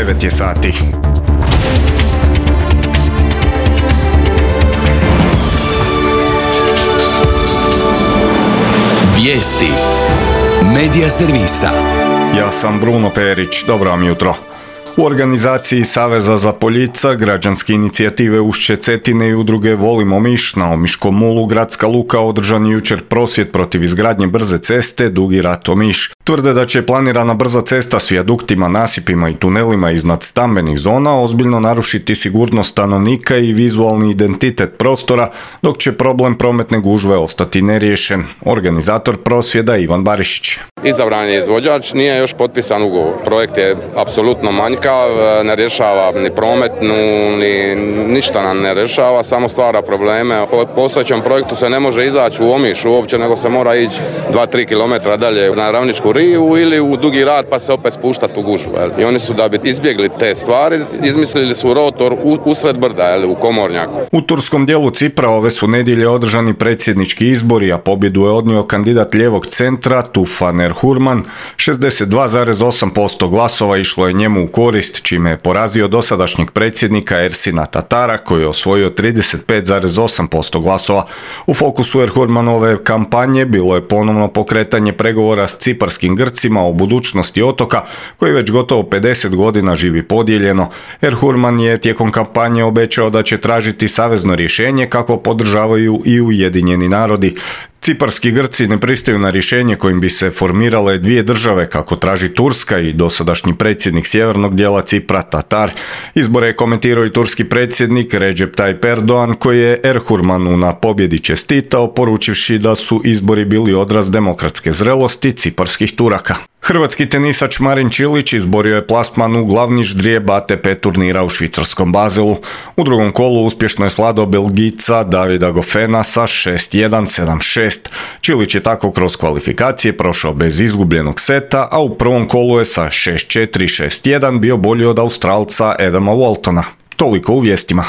9 je sati. Vijesti Medija servisa. Ja sam Bruno Perić, dobro vam jutro. U organizaciji Saveza za Poljica, građanske inicijative Ušće Cetine i udruge Volimo Omiš na Omiškom mulu Gradska luka održan je jučer prosvjed protiv izgradnje brze ceste Dugi Rat Omiš. Tvrde da će planirana brza cesta s vijaduktima, nasipima i tunelima iznad stambenih zona ozbiljno narušiti sigurnost stanovnika i vizualni identitet prostora, dok će problem prometne gužve ostati neriješen. Organizator prosvjeda Ivan Barišić. Izabran je izvođač, nije još potpisan ugovor. Projekt je apsolutno manjkav, ne rješava ni prometnu, ni ništa nam ne rješava, samo stvara probleme. Po postojećem projektu se ne može izaći u Omiš uopće, nego se mora ići 2-3 km dalje na Ravničku rivu ili u Dugi Rat pa se opet spuštati u gužvu. I oni su, da bi izbjegli te stvari, izmislili su rotor usred brda, u Komornjaku. U turskom dijelu Cipra ove su nedjelje održani predsjednički izbori, a pobjedu je odnio kandidat lijevog centra Tufan Erhurman. 62,8% glasova išlo je njemu u korist, čime je porazio dosadašnjeg predsjednika Ersina Tatara koji je osvojio 35,8% glasova. U fokusu Erhurmanove kampanje bilo je ponovno pokretanje pregovora s ciparskim Grcima o budućnosti otoka koji već gotovo 50 godina živi podijeljeno. Erhurman je tijekom kampanje obećao da će tražiti savezno rješenje kako podržavaju i Ujedinjeni narodi. Ciparski Grci ne pristaju na rješenje kojim bi se formirale dvije države kako traži Turska i dosadašnji predsjednik sjevernog dijela Cipra Tatar. Izbore je komentirao i turski predsjednik Recep Tayyip Erdogan koji je Erhurmanu na pobjedi čestitao poručivši da su izbori bili odraz demokratske zrelosti ciparskih Turaka. Hrvatski tenisač Marin Čilić izborio je plasman u glavni ždrijeb ATP turnira u švicarskom Baselu. U drugom kolu uspješno je svladao Belgijca Davida Goffena sa 6-1, 7-6. Čilić je tako kroz kvalifikacije prošao bez izgubljenog seta, a u prvom kolu je sa 6-4, 6-1 bio bolji od Australca Adama Waltona. Toliko u vijestima.